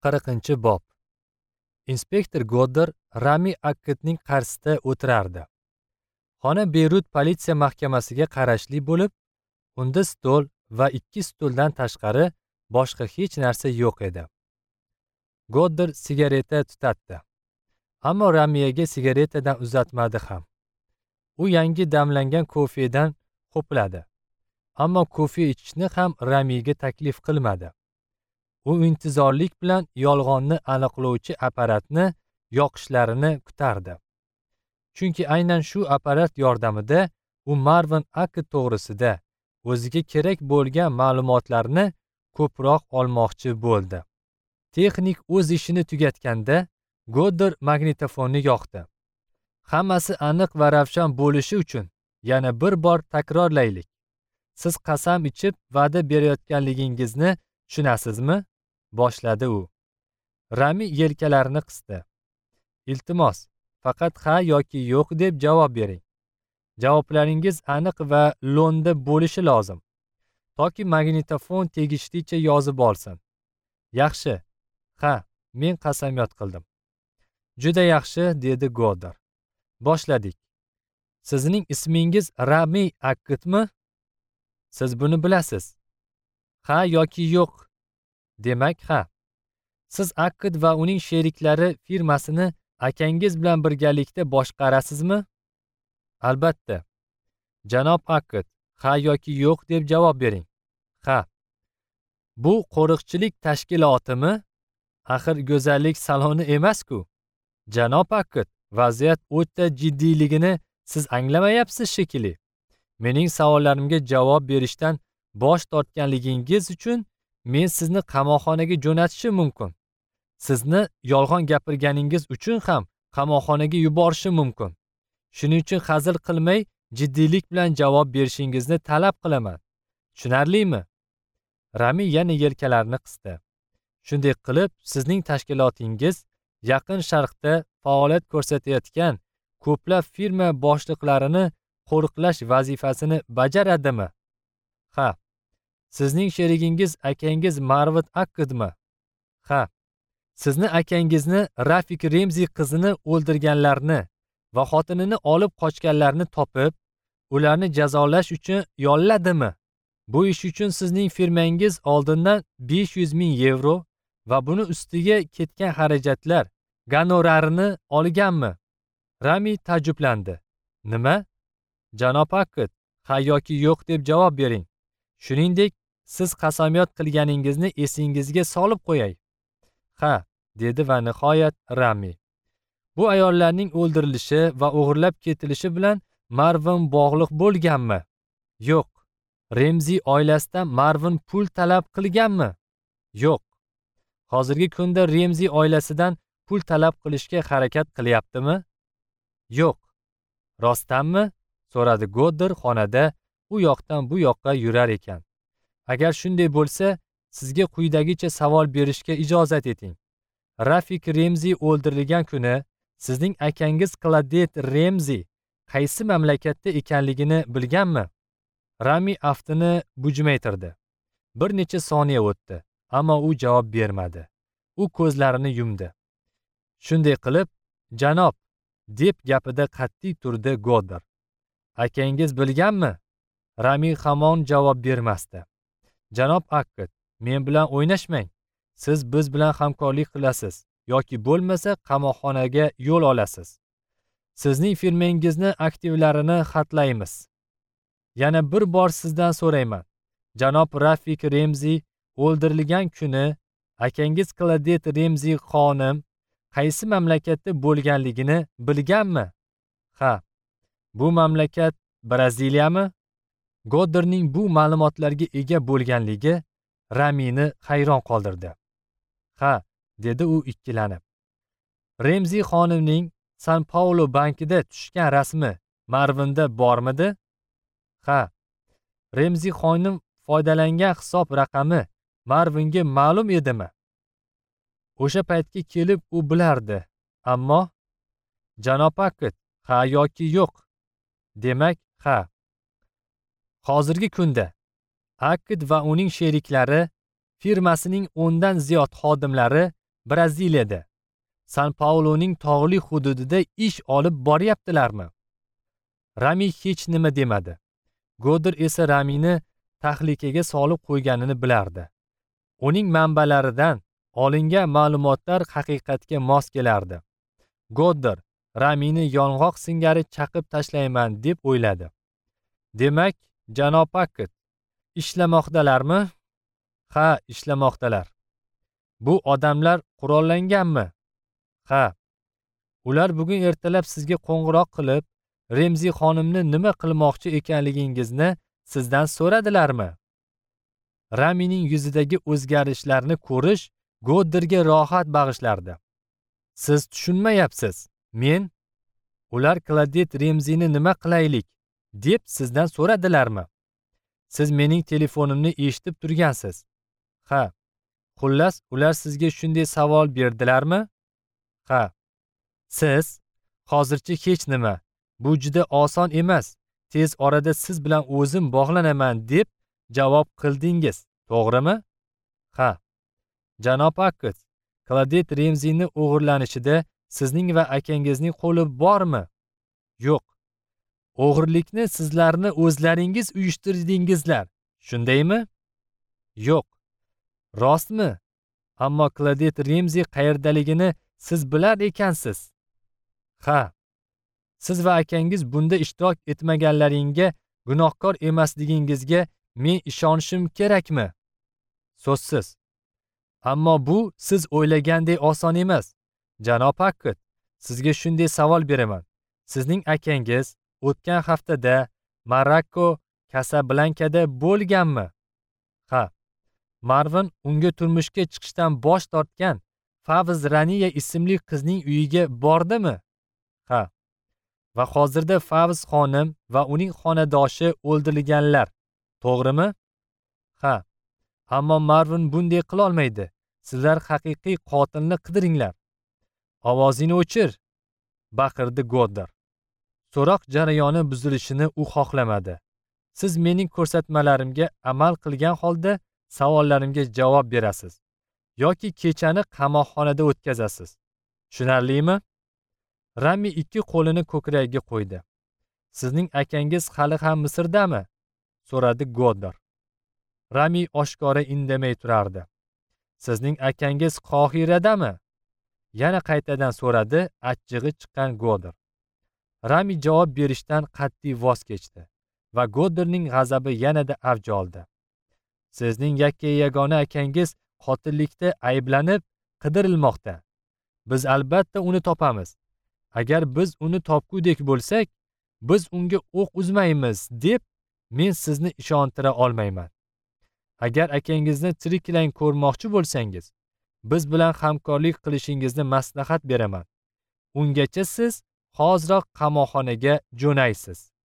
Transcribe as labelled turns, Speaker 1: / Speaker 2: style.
Speaker 1: 40-bob. Inspektor Goddar Rami Akkidning qarshisida o'tirardi. Xona Beyrut politsiya mahkamasiga qarashli bo'lib, unda stol va 2 stuldan tashqari boshqa hech narsa yo'q edi. Goddar sigareta tutatdi. Ammo Ramiyaga sigaretadan uzatmadi ham. U yangi damlangan kofedan ho'pladi. Ammo kofe ichishni ham Ramiga taklif qilmadi. U intizorlik bilan yolg'onni aniqlovchi apparatni yoqishlarini kutardi. Chunki aynan shu apparat yordamida u Marvin Akkid to'g'risida o'ziga kerak bo'lgan ma'lumotlarni ko'proq olmoqchi bo'ldi. Texnik o'z ishini tugatganda Goddar magnitofonni yoqdi. Hammasi aniq va ravshan bo'lishi uchun yana bir bor takrorlaylik. Siz qasam ichib va'da berayotganligingizni tushunasizmi? Boshladi u. Rami yelkalarini qisdi. Iltimos, faqat ha yoki yo'q deb javob bering. Javoblaringiz aniq va lo'nda bo'lishi lozim, toki magnitofon tegishlicha yozib olsin. Yaxshi. Ha, men qasamyod qildim. Juda yaxshi, dedi Goddar. Boshladik. Sizning ismingiz Rami Akkidmi? Siz buni bilasiz. Ha yoki yo'q? Demak, ha. Siz Akkid va uning sheriklari firmasini akangiz bilan birgalikda boshqarasizmi? Albatta. Janob Akkid, ha yoki yo'q deb javob bering. Ha. Bu qo'riqchilik tashkilotimi? Axir go'zallik saloni emas-ku. Janob Akkid, vaziyat o'ta jiddiyligini siz anglamayapsiz shekilli. Mening savollarimga javob berishdan bosh tortganligingiz uchun men sizni qamoqxonaga jo'natishim mumkin. Sizni yolg'on gapirganingiz uchun ham qamoqxonaga yuborishim mumkin. Shuning uchun hazil qilmay, jiddiylik bilan javob berishingizni talab qilaman. Tushunarlimi? Rami yana yelkalarini qisdi. Shunday qilib, sizning tashkilotingiz Yaqin Sharqda faoliyat ko'rsatayotgan ko'plab firma boshliqlarini qo'riqlash vazifasini bajaradimi? Ha. Sizning sherigingiz akangiz Marvin Akkidmi? Ha. Sizni akangizni Rafik Remzi qizini o'ldirganlarni va xotinini olib qochganlarni topib, ularni jazolash uchun yolladimi? Bu ish uchun sizning firmangiz oldindan 500 ming yevro va buni ustiga ketgan xarajatlar gonorarini olganmi? Rami ta'jjublandi. Nima? Janob Akkid, ha yoki yo'q deb javob bering. Shuningdek, siz qasamyod qilganingizni esingizga solib qo'yay. Ha, dedi va nihoyat Rami. Bu ayollarning o'ldirilishi va o'g'irlab ketilishi bilan Marvin bog'liq bo'lganmi? Yo'q. Remzi oilasidan Marvin pul talab qilganmi? Yo'q. Hozirgi kunda Remzi oilasidan pul talab qilishga harakat qilyaptimi? Yo'q. Rostdanmi? So'radi Goddar xonada u yoqdan bu yoqqa yurar ekan. Agar shunday bo'lsa, sizga quyidagicha savol berishga ijozat eting. Rafik Remzi o'ldirilgan kuni sizning akangiz Kladet Remzi qaysi mamlakatda ekanligini bilganmi? Rami aftini bujmaytirdi. Bir necha soniya o'tdi, ammo u javob bermadi. U ko'zlarini yumdi. Shunday qilib, janob, deb gapida qat'iy turdi Goddar. Akangiz bilganmi? Rami hamon javob bermasdi. Janob Akkid, men bilan o'ynashmang. Siz biz bilan hamkorlik qilasiz yoki bo'lmasa qamoqxonaga yo'l olasiz. Sizning firmangizni aktivlarini xatlaymiz. Yana bir bor sizdan so'rayman. Janob Rafik Remzi o'ldirilgan kuni akangiz Kladet Remzi xonim qaysi mamlakatda bo'lganligini bilganmi? Ha. Bu mamlakat Braziliyami? Goddarning bu ma'lumotlarga ega bo'lganligi Ramini hayron qoldirdi. Ha, dedi u ikkilanib. Remzi xonimning San Paulo bankida tushgan rasmi Marvinda bormidi? Ha. Remzi xonim foydalangan hisob raqami Marvinga ma'lum edimi? O'sha paytga kelib u bilardi, ammo janob Akkid, ha yoki yo'q? Demak, ha. Hozirgi kunda Akkid va uning sheriklari firmasining 10 dan ziyod xodimlari Braziliyada, San Pauloning tog'li hududida ish olib boryaptilarmi? Rami hech nima demadi. Goddar esa Ramini tahlikaga solib qo'yganini bilardi. Uning manbalaridan olingan ma'lumotlar haqiqatga mos kelardi. Goddar Ramini yong'oq singari chaqib tashlayman deb o'yladi. Demak, janob Akkad, ishlamoqdalarmi? Ha, ishlamoqdalar. Bu odamlar qurollanganmi? Ha. Ular bugun ertalab sizga qo'ng'iroq qilib, Remzi xonimni nima qilmoqchi ekanligingizni sizdan so'radilarmi? Ramining yuzidagi o'zgarishlarni ko'rish Goddarga rohat bag'ishlardi. Siz tushunmayapsiz. Men ular Klodet Remzini nima qilaylik deb sizdan so'radilarmi? Siz mening telefonimni eshitib turgansiz. Ha. Xullas, ular sizga shunday savol berdilarmi? Ha. Siz hozircha hech nima. Bu juda oson emas. Tez orada siz bilan o'zim bog'lanaman deb javob qildingiz, to'g'rimi? Ha. Janob Akkad, Klodet Remzini o'g'irlanishida sizning va akangizning qo'li bormi? Yo'q. O'g'irlikni sizlarni o'zlaringiz uyushtirdingizlar, shundaymi? Yo'q. Rostmi? Ammo Klodet Remzi qayerdaligini siz bilar ekansiz. Ha. Siz va akangiz bunda ishtirok etmaganlaringga gunohkor emasligingizga men ishonishim kerakmi? So'zsiz. Ammo bu siz o'ylagandek oson emas. Janob Akkad, sizga shunday savol beraman. Sizning akangiz o'tgan haftada Marokko Kasablankada bo'lganmi? Ha. Marvin unga turmushga chiqishdan bosh tortgan Favz Raniya ismli qizning uyiga bordimi? Ha. Va hozirda Favz xonim va uning xonadoshi o'ldirilganlar, to'g'rimi? Ha. Ammo Marvin bunday qila olmaydi. Sizlar haqiqiy qotilni qidiringlar. Ovozingni o'chir, baqirdi Goddar. So'roq jarayoni buzilishini u xohlamadi. Siz mening ko'rsatmalarimga amal qilgan holda savollarimga javob berasiz yoki kechani qamoqxonada o'tkazasiz. Tushunarlimi? Rami ikki qo'lini ko'kragiga qo'ydi. Sizning akangiz hali ham Misrdami? So'radi Goddar. Rami oshkora indamay turardi. Sizning akangiz Qohiradami? Yana qaytadan so'radi achchig'i chiqqan Goddar. Rami javob berishdan qat'iy voz kechdi va Goddarning g'azabi yanada avj oldi. Sizning yakka-yagona akangiz qotillikda ayblanib qidirilmoqda. Biz albatta uni topamiz. Agar biz uni topgudek bo'lsak, biz unga o'q uzmaymiz deb men sizni ishontira olmayman. Agar akangizni tiriklayn ko'rmoqchi bo'lsangiz, biz bilan hamkorlik qilishingizni maslahat beraman. Ungacha siz hoziroq qamoqxonaga jo'naysiz.